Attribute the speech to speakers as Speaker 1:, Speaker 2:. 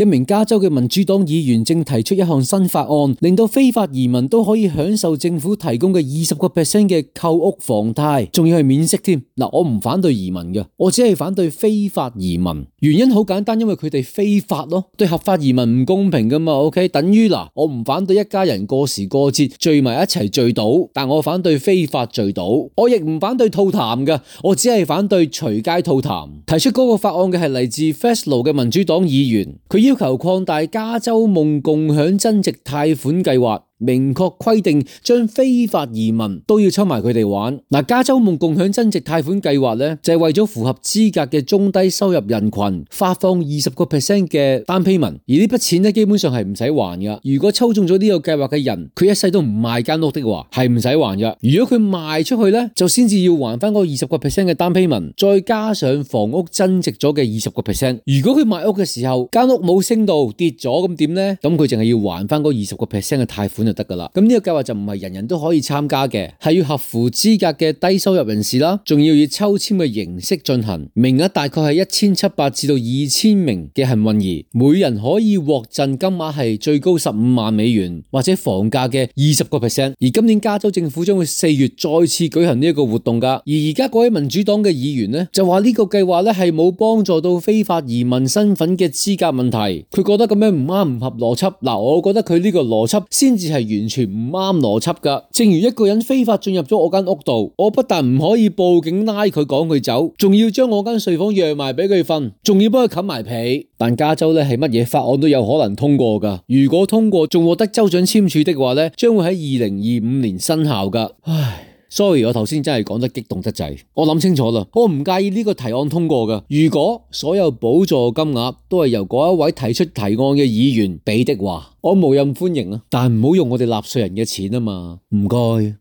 Speaker 1: 一名加州嘅民主黨議員正提出一項新法案，令到非法移民都可以享受政府提供嘅20% 嘅購屋房貸，仲要係免息添。嗱，我唔反對移民嘅，我只係反對非法移民。原因好簡單，因為佢哋非法咯，對合法移民唔公平噶嘛。OK， 等於嗱，我唔反對一家人過時過節聚埋一齊聚賭，但我反對非法聚賭。我亦唔反對吐痰嘅，我只係反對隨街吐痰。提出嗰個法案嘅係嚟自 Fresno 嘅民主黨議員，佢要求擴大加州夢共享增值貸款計劃，明確規定將非法移民都要抽埋佢哋玩。嗱，加州夢共享增值貸款計劃咧，就係為咗符合資格嘅中低收入人群發放20% 嘅單 payment，而呢筆錢咧基本上係唔使還噶。如果抽中咗呢個計劃嘅人，佢一世都唔賣間屋的話，係唔使還噶。如果佢賣出去咧，就先至要還翻嗰20% 嘅單 payment，再加上房屋增值咗嘅20%。如果佢賣屋嘅時候間屋冇升到跌咗，咁點咧？咁佢淨係要還翻嗰20% 嘅貸款就得噶啦。咁呢個計劃就唔係人人都可以參加嘅，係要合乎資格嘅低收入人士啦，仲要以抽籤嘅形式進行，名額大概係1700至到2000名嘅幸運兒，每人可以獲贈金額係最高15萬美元或者房價嘅20%。而今年加州政府將會4月再次舉行呢一個活動噶。而而家嗰位民主黨嘅議員呢，就話呢個計劃咧係冇幫助到非法移民身份嘅資格問題，佢覺得咁樣唔啱唔合邏輯。嗱，我覺得佢呢個邏輯先至係完全唔啱邏輯噶。正如一個人非法進入咗我間屋度，我不但唔可以報警拉佢趕佢走，仲要將我間睡房讓埋俾佢瞓，仲要幫佢冚埋被。但加州咧係乜嘢法案都有可能通過噶，如果通過仲獲得州長簽署的話咧，將會喺2025年生效噶。唉。sorry， 我頭先真係講得激動得滯，我諗清楚啦，我唔介意呢個提案通過噶。如果所有補助金額都係由嗰一位提出提案嘅議員俾的話，我無任歡迎啊。但唔好用我哋納稅人嘅錢啊嘛，唔該。